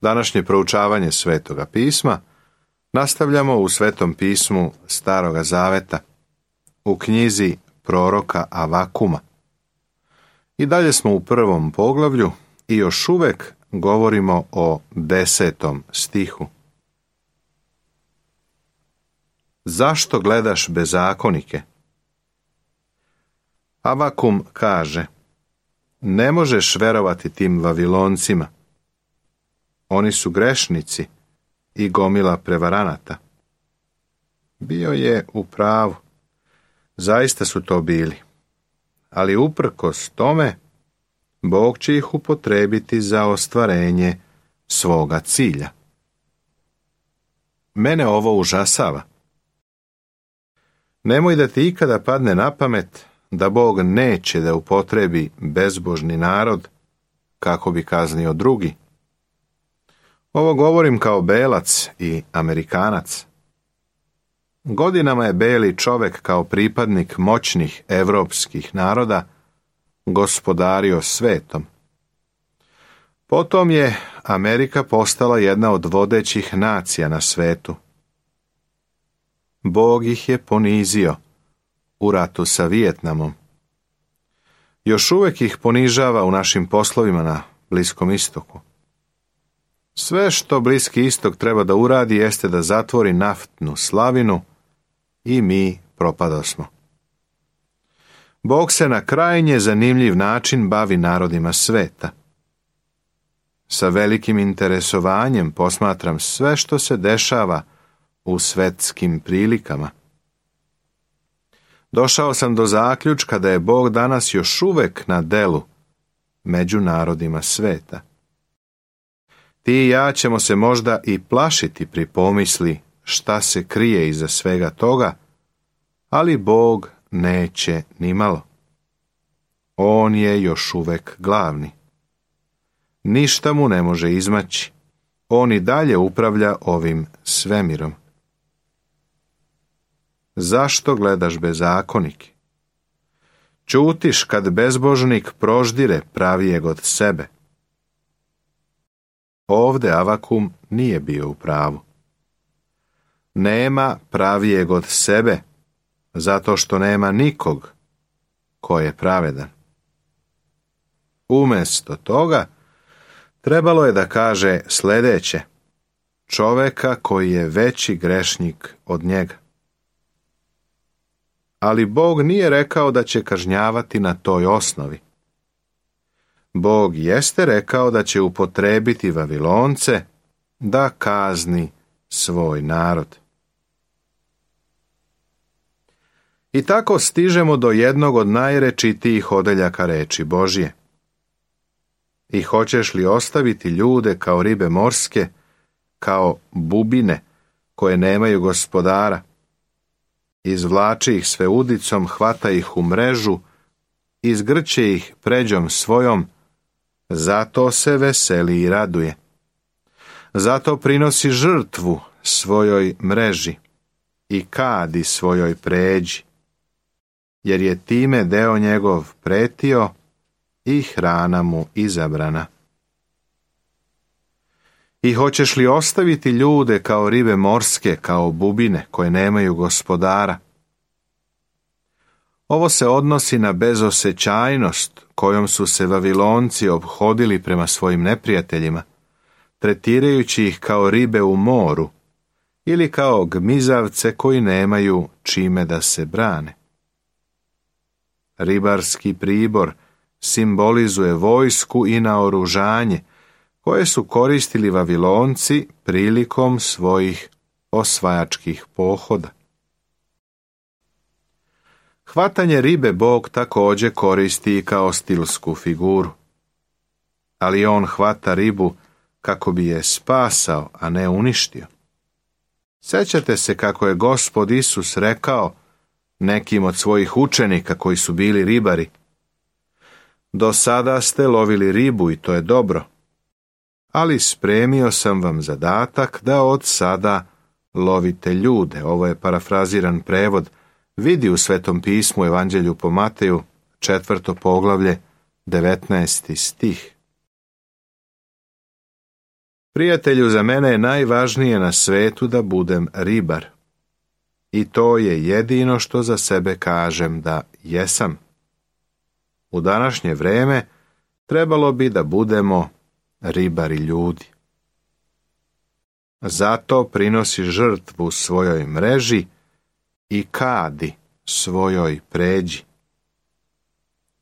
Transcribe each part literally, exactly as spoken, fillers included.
Današnje proučavanje Svetoga pisma nastavljamo u Svetom pismu Staroga Zaveta, u knjizi proroka Avakuma. I dalje smo u prvom poglavlju i još uvek govorimo o desetom stihu. Zašto gledaš bezakonike? Avakum kaže: ne možeš verovati tim Vaviloncima. Oni su grešnici i gomila prevaranata. Bio je u pravu. Zaista su to bili. Ali uprkos tome, Bog će ih upotrebiti za ostvarenje svoga cilja. Mene ovo užasava. Nemoj da ti ikada padne na pamet da Bog neće da upotrebi bezbožni narod kako bi kaznio drugi. Ovo govorim kao belac i Amerikanac. Godinama je beli čovek kao pripadnik moćnih evropskih naroda gospodario svetom. Potom je Amerika postala jedna od vodećih nacija na svetu. Bog ih je ponizio u ratu sa Vijetnamom. Još uvek ih ponižava u našim poslovima na Bliskom istoku. Sve što Bliski istok treba da uradi jeste da zatvori naftnu slavinu i mi propadosmo. Bog se na krajnje zanimljiv način bavi narodima sveta. Sa velikim interesovanjem posmatram sve što se dešava u svetskim prilikama. Došao sam do zaključka da je Bog danas još uvek na delu među narodima sveta. Ti i ja ćemo se možda i plašiti pri pomisli šta se krije iza svega toga, ali Bog neće nimalo. On je još uvek glavni. Ništa mu ne može izmaći. On i dalje upravlja ovim svemirom. Zašto gledaš bezakonike? Ćutiš kad bezbožnik proždire pravijeg od sebe. Ovde Avakum nije bio u pravu. Nema pravijeg od sebe, zato što nema nikog ko je pravedan. Umesto toga, trebalo je da kaže sljedeće: čoveka koji je veći grešnik od njega. Ali Bog nije rekao da će kažnjavati na toj osnovi. Bog jeste rekao da će upotrebiti Vavilonce da kazni svoj narod. I tako stižemo do jednog od najrečitijih odeljaka reči Božje. I hoćeš li ostaviti ljude kao ribe morske, kao bubine koje nemaju gospodara? Izvlači ih sve udicom, hvata ih u mrežu, izgrće ih pređom svojom, zato se veseli i raduje. Zato prinosi žrtvu svojoj mreži i kadi svojoj pređi, jer je time deo njegov pretio i hrana mu izabrana. I hoćeš li ostaviti ljude kao ribe morske, kao bubine koje nemaju gospodara? Ovo se odnosi na bezosećajnost kojom su se Vavilonci ophodili prema svojim neprijateljima, tretirajući ih kao ribe u moru ili kao gmizavce koji nemaju čime da se brane. Ribarski pribor simbolizuje vojsku i naoružanje koje su koristili Vavilonci prilikom svojih osvajačkih pohoda. Hvatanje ribe Bog također koristi i kao stilsku figuru. Ali on hvata ribu kako bi je spasao, a ne uništio. Sjećate se kako je Gospod Isus rekao nekim od svojih učenika koji su bili ribari: do sada ste lovili ribu i to je dobro, ali spremio sam vam zadatak da od sada lovite ljude. Ovo je parafraziran prevod. Vidi u Svetom pismu Evanđelju po Mateju, četvrto poglavlje, devetnaesti stih. Prijatelju, za mene je najvažnije na svetu da budem ribar. I to je jedino što za sebe kažem da jesam. U današnje vrijeme trebalo bi da budemo ribari ljudi. Zato prinosi žrtvu svojoj mreži i kadi svojoj pređi.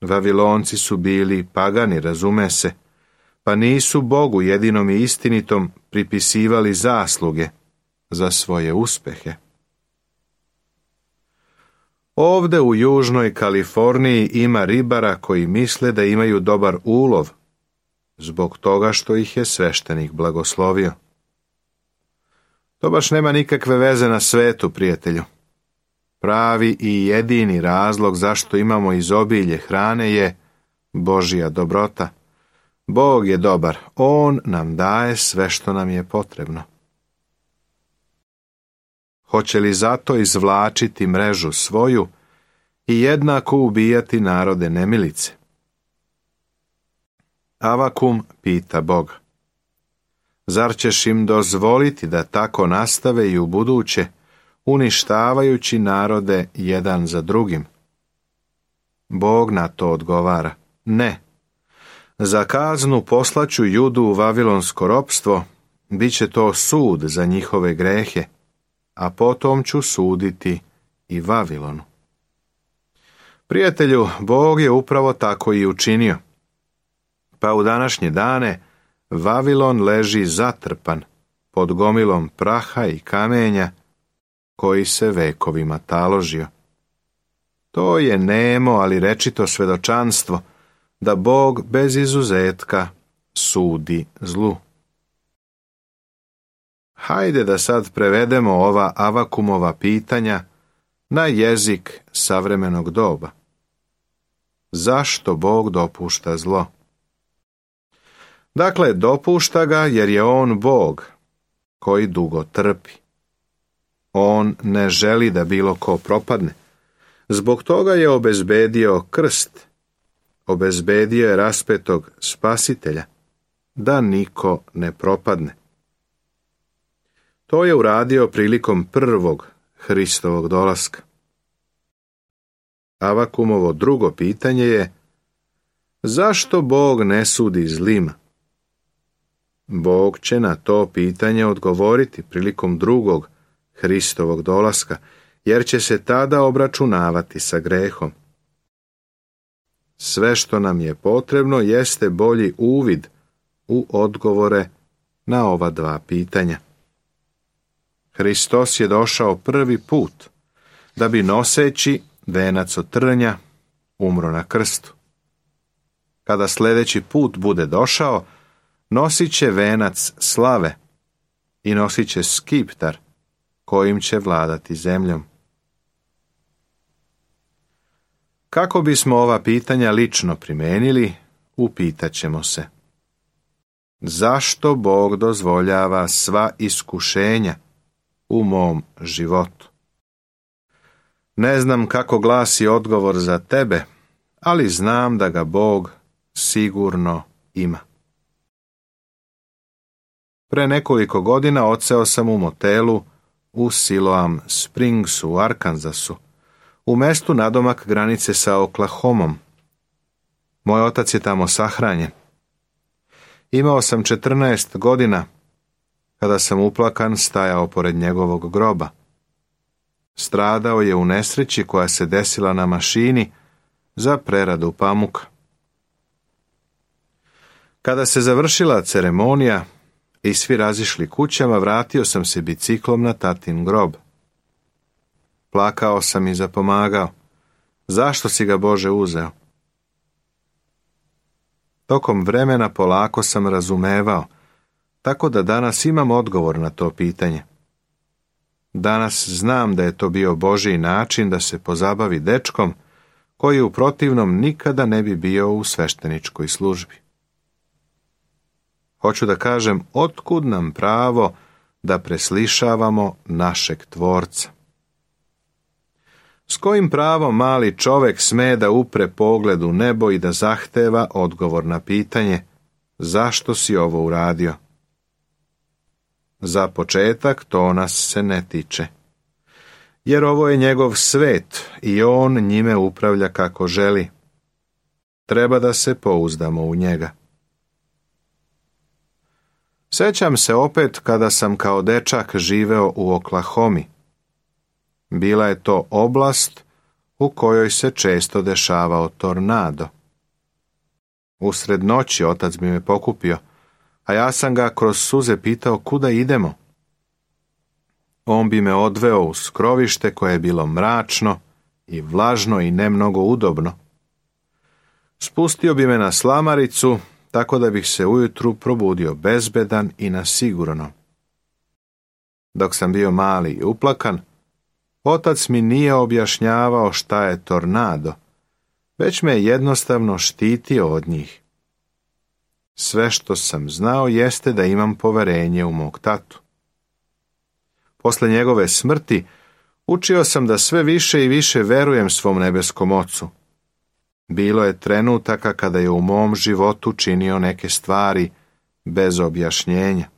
Vavilonci su bili pagani, razume se, pa nisu Bogu jedinom i istinitom pripisivali zasluge za svoje uspehe. Ovde u južnoj Kaliforniji ima ribara koji misle da imaju dobar ulov, zbog toga što ih je sveštenik blagoslovio. To baš nema nikakve veze na svetu, prijatelju. Pravi i jedini razlog zašto imamo izobilje hrane je Božja dobrota. Bog je dobar, On nam daje sve što nam je potrebno. Hoće li zato izvlačiti mrežu svoju i jednako ubijati narode nemilice? Avakum pita Boga: zar ćeš im dozvoliti da tako nastave i u buduće, uništavajući narode jedan za drugim? Bog na to odgovara: ne. Za kaznu poslaću Judu u vavilonsko ropstvo, bit će to sud za njihove grehe, a potom ću suditi i Vavilonu. Prijatelju, Bog je upravo tako i učinio. Pa u današnje dane Vavilon leži zatrpan pod gomilom praha i kamenja koji se vekovima taložio. To je nemo, ali rečito svedočanstvo da Bog bez izuzetka sudi zlu. Hajde da sad prevedemo ova Avakumova pitanja na jezik savremenog doba. Zašto Bog dopušta zlo? Dakle, dopušta ga jer je On Bog koji dugo trpi. On ne želi da bilo ko propadne. Zbog toga je obezbedio krst, obezbedio je raspetog spasitelja, da niko ne propadne. To je uradio prilikom prvog Hristovog dolaska. Avakumovo drugo pitanje je: zašto Bog ne sudi zlima? Bog će na to pitanje odgovoriti prilikom drugog Hristovog dolaska, jer će se tada obračunavati sa grehom. Sve što nam je potrebno jeste bolji uvid u odgovore na ova dva pitanja. Hristos je došao prvi put da bi noseći venac od trnja umro na krstu. Kada sljedeći put bude došao, nosit će venac slave i nosit će skiptar kojim će vladati zemljom. Kako bismo ova pitanja lično primenili, upitat ćemo se: zašto Bog dozvoljava sva iskušenja u mom životu? Ne znam kako glasi odgovor za tebe, ali znam da ga Bog sigurno ima. Pre nekoliko godina odseo sam u motelu u Siloam Springsu u Arkansasu, u mestu nadomak granice sa Oklahomom. Moj otac je tamo sahranjen. Imao sam četrnaest godina kada sam uplakan stajao pored njegovog groba. Stradao je u nesreći koja se desila na mašini za preradu pamuka. Kada se završila ceremonija i svi razišli kućama, vratio sam se biciklom na tatin grob. Plakao sam i zapomagao: zašto si ga, Bože, uzeo? Tokom vremena polako sam razumevao, tako da danas imam odgovor na to pitanje. Danas znam da je to bio Božji način da se pozabavi dečkom koji u protivnom nikada ne bi bio u svešteničkoj službi. Hoću da kažem, otkud nam pravo da preslišavamo našeg Tvorca? S kojim pravom mali čovek sme da upre pogled u nebo i da zahteva odgovor na pitanje: zašto si ovo uradio? Za početak to nas se ne tiče. Jer ovo je njegov svet i on njime upravlja kako želi. Treba da se pouzdamo u njega. Sjećam se opet kada sam kao dečak živeo u Oklahomi. Bila je to oblast u kojoj se često dešavao tornado. Usred noći otac bi me pokupio, a ja sam ga kroz suze pitao kuda idemo. On bi me odveo u skrovište koje je bilo mračno i vlažno i ne mnogo udobno. Spustio bi me na slamaricu, tako da bih se ujutru probudio bezbedan i na sigurno. Dok sam bio mali i uplakan, otac mi nije objašnjavao šta je tornado, već me jednostavno štitio od njih. Sve što sam znao jeste da imam poverenje u mog tatu. Posle njegove smrti učio sam da sve više i više verujem svom nebeskom ocu. Bilo je trenutaka kada je u mom životu činio neke stvari bez objašnjenja.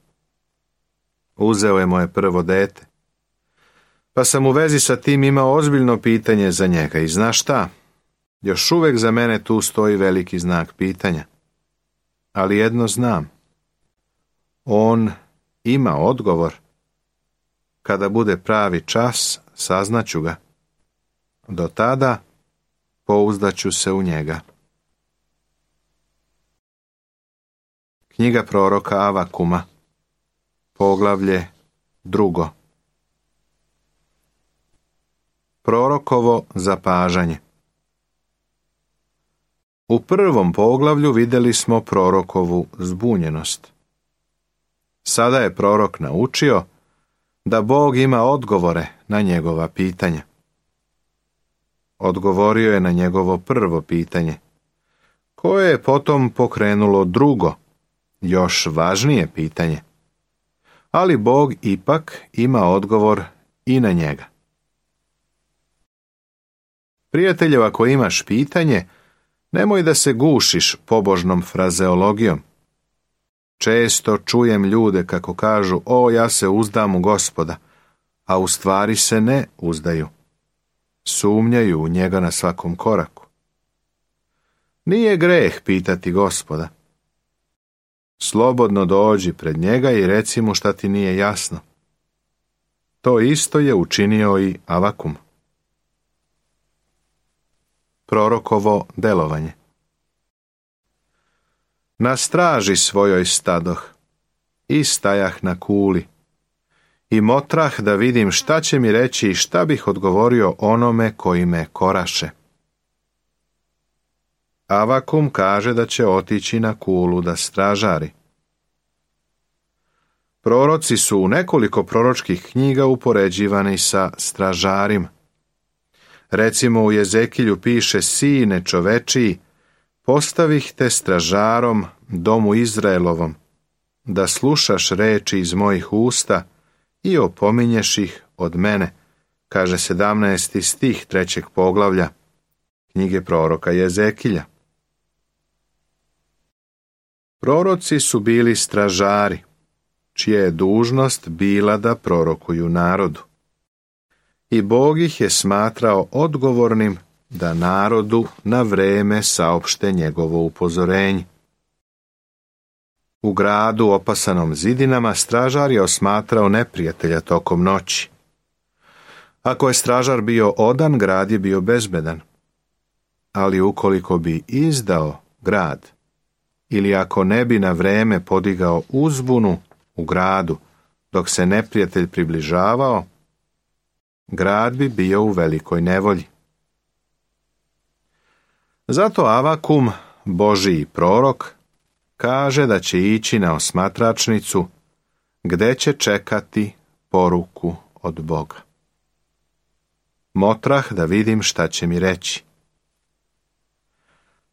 Uzeo je moje prvo dete, pa sam u vezi sa tim imao ozbiljno pitanje za njega i znaš šta? Još uvek za mene tu stoji veliki znak pitanja. Ali jedno znam. On ima odgovor. Kada bude pravi čas, saznaću ga. Do tada pouzdaću se u njega. Knjiga proroka Avakuma, poglavlje drugo. Prorokovo zapažanje. U prvom poglavlju vidjeli smo prorokovu zbunjenost. Sada je prorok naučio da Bog ima odgovore na njegova pitanja. Odgovorio je na njegovo prvo pitanje, koje je potom pokrenulo drugo, još važnije pitanje. Ali Bog ipak ima odgovor i na njega. Prijatelju, ako imaš pitanje, nemoj da se gušiš pobožnom frazeologijom. Često čujem ljude kako kažu, o, ja se uzdam u Gospoda, a u stvari se ne uzdaju. Sumnjaju u njega na svakom koraku. Nije greh pitati Gospoda. Slobodno dođi pred njega i reci mu šta ti nije jasno. To isto je učinio i Avakum. Prorokovo delovanje. Na straži svojoj stadoh i stajah na kuli i motrah da vidim šta će mi reći i šta bih odgovorio onome koji me koraše. Avakum kaže da će otići na kulu da stražari. Proroci su u nekoliko proročkih knjiga upoređivani sa stražarima. Recimo u Jezekilju piše, sine čovečiji, postavih te stražarom domu Izraelovom, da slušaš reči iz mojih usta i opominješ ih od mene, kaže sedamnaesti stih trećeg poglavlja knjige proroka Jezekilja. Proroci su bili stražari, čija je dužnost bila da prorokuju narodu. I Bog ih je smatrao odgovornim da narodu na vreme saopšte njegovo upozorenje. U gradu opasanom zidinama stražar je osmatrao neprijatelja tokom noći. Ako je stražar bio odan, grad je bio bezbedan. Ali ukoliko bi izdao grad, ili ako ne bi na vreme podigao uzbunu u gradu dok se neprijatelj približavao, grad bi bio u velikoj nevolji. Zato Avakum, Božiji prorok, kaže da će ići na osmatračnicu gde će čekati poruku od Boga. Motrah da vidim šta će mi reći.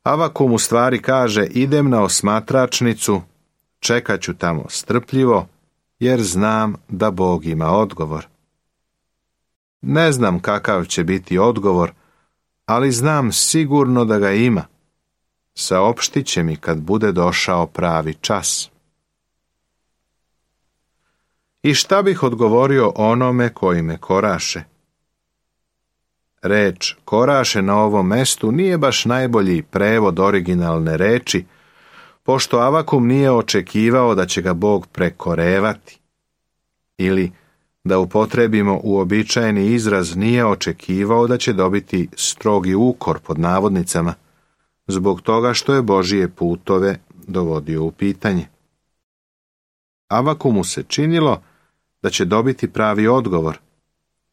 Avakum u stvari kaže, idem na osmatračnicu, čekat ću tamo strpljivo, jer znam da Bog ima odgovor. Ne znam kakav će biti odgovor, ali znam sigurno da ga ima. Saopštit će mi kad bude došao pravi čas. I šta bih odgovorio onome koji me koraše? Reč koraše na ovom mestu nije baš najbolji prevod originalne reči, pošto Avakum nije očekivao da će ga Bog prekorevati. Ili, da upotrebimo uobičajeni izraz, nije očekivao da će dobiti strogi ukor pod navodnicama, zbog toga što je Božije putove dovodio u pitanje. Avakumu se činilo da će dobiti pravi odgovor,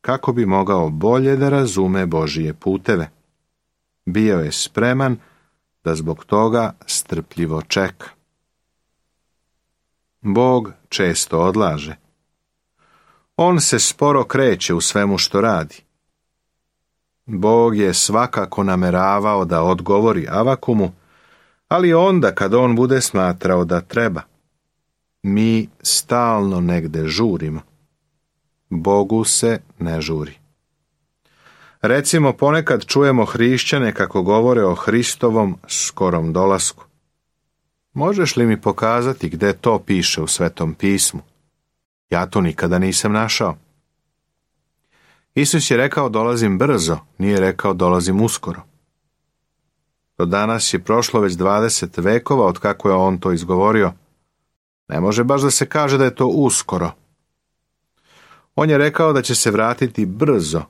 kako bi mogao bolje da razume Božije puteve. Bio je spreman da zbog toga strpljivo čeka. Bog često odlaže. On se sporo kreće u svemu što radi. Bog je svakako nameravao da odgovori Avakumu, ali onda kad on bude smatrao da treba. Mi stalno negde žurimo. Bogu se ne žuri. Recimo, ponekad čujemo hrišćane kako govore o Hristovom skorom dolasku. Možeš li mi pokazati gde to piše u Svetom pismu? Ja to nikada nisam našao. Isus je rekao dolazim brzo, nije rekao dolazim uskoro. Do danas je prošlo već dvadeset vekova od kako je on to izgovorio. Ne može baš da se kaže da je to uskoro. On je rekao da će se vratiti brzo,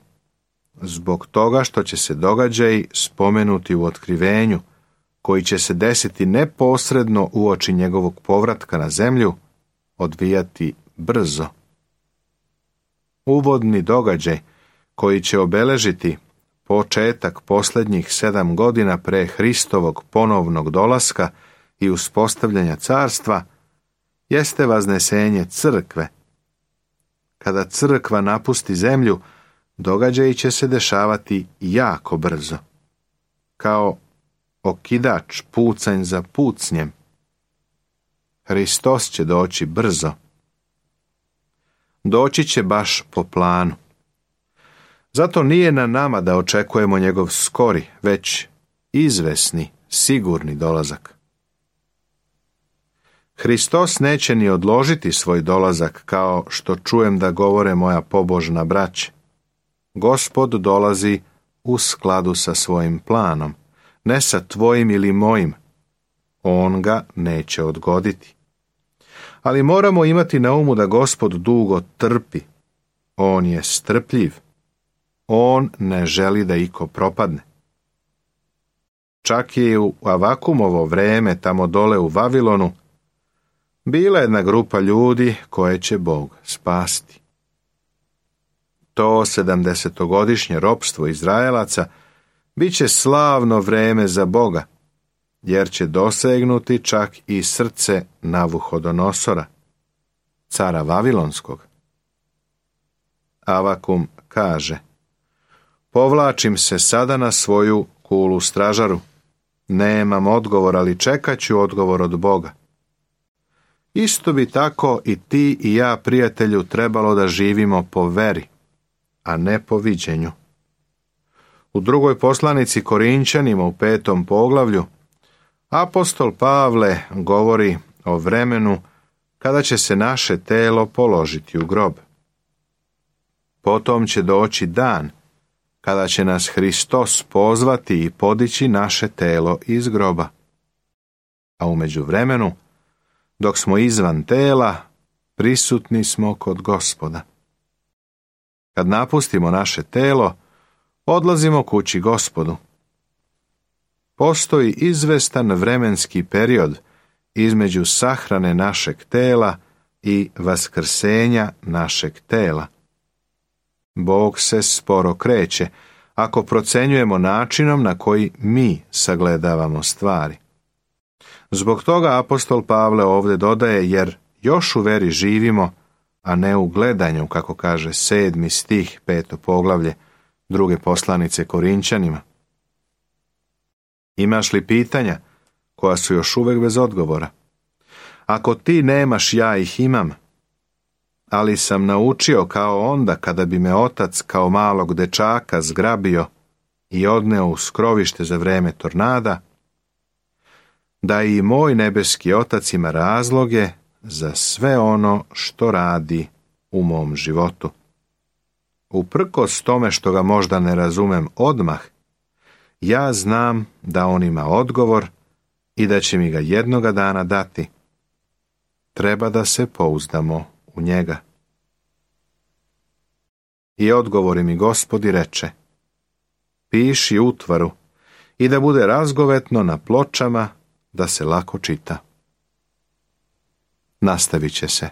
zbog toga što će se događaji spomenuti u otkrivenju, koji će se desiti neposredno uoči njegovog povratka na zemlju, odvijati brzo. Uvodni događaj koji će obeležiti početak posljednjih sedam godina pre Hristovog ponovnog dolaska i uspostavljanja carstva jeste vaznesenje crkve. Kada crkva napusti zemlju, događaji će se dešavati jako brzo, kao okidač pucanj za pucnjem. Hristos će doći brzo. Doći će baš po planu. Zato nije na nama da očekujemo njegov skori, već izvesni, sigurni dolazak. Hristos neće ni odložiti svoj dolazak, kao što čujem da govore moja pobožna braća. Gospod dolazi u skladu sa svojim planom, ne sa tvojim ili mojim. On ga neće odgoditi. Ali moramo imati na umu da Gospod dugo trpi. On je strpljiv. On ne želi da iko propadne. Čak je u Avakumovo vreme tamo dole u Vavilonu bila jedna grupa ljudi koje će Bog spasti. To sedamdesetogodišnje ropstvo Izraelaca bit će slavno vreme za Boga, jer će dosegnuti čak i srce Navuhodonosora, cara Vavilonskog. Avakum kaže: povlačim se sada na svoju kulu stražaru. Nemam odgovor, ali čekat ću odgovor od Boga. Isto bi tako i ti i ja, prijatelju, trebalo da živimo po veri, a ne po viđenju. U drugoj poslanici Korinčanima u petom poglavlju apostol Pavle govori o vremenu kada će se naše telo položiti u grob. Potom će doći dan kada će nas Hristos pozvati i podići naše telo iz groba. A u međuvremenu, dok smo izvan tela, prisutni smo kod Gospoda. Kad napustimo naše telo, odlazimo kući Gospodu. Postoji izvestan vremenski period između sahrane našeg tela i vaskrsenja našeg tela. Bog se sporo kreće ako procenjujemo načinom na koji mi sagledavamo stvari. Zbog toga apostol Pavle ovdje dodaje, jer još u veri živimo, a ne u gledanju, kako kaže sedmi stih peto poglavlje druge poslanice Korinčanima. Imaš li pitanja koja su još uvek bez odgovora? Ako ti nemaš, ja ih imam. Ali sam naučio kao onda kada bi me otac kao malog dečaka zgrabio i odneo u skrovište za vreme tornada, da i moj nebeski otac ima razloge za sve ono što radi u mom životu. Uprkos tome što ga možda ne razumem odmah, ja znam da on ima odgovor i da će mi ga jednoga dana dati. Treba da se pouzdamo u njega. I odgovori mi Gospod i reče: piši utvaru i da bude razgovetno na pločama, da se lako čita. Nastavit će se.